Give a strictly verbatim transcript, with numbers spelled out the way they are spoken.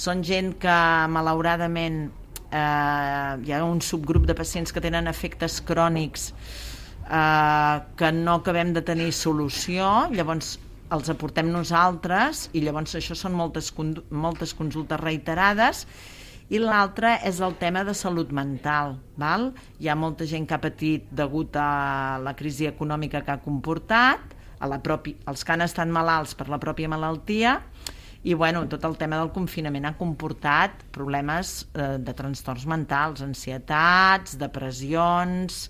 són gent que malauradament eh, hi ha un subgrup de pacients que tenen efectes crònics eh, que no acabem de tenir solució, llavors els aportem nosaltres i llavors això són moltes, moltes consultes reiterades. I l'altre és el tema de salut mental. Val? Hi ha molta gent que ha patit degut a la crisi econòmica que ha comportat, a la propi, els que han estat malalts per la pròpia malaltia, i bueno, tot el tema del confinament ha comportat problemes eh, de trastorns mentals, ansietats, depressions,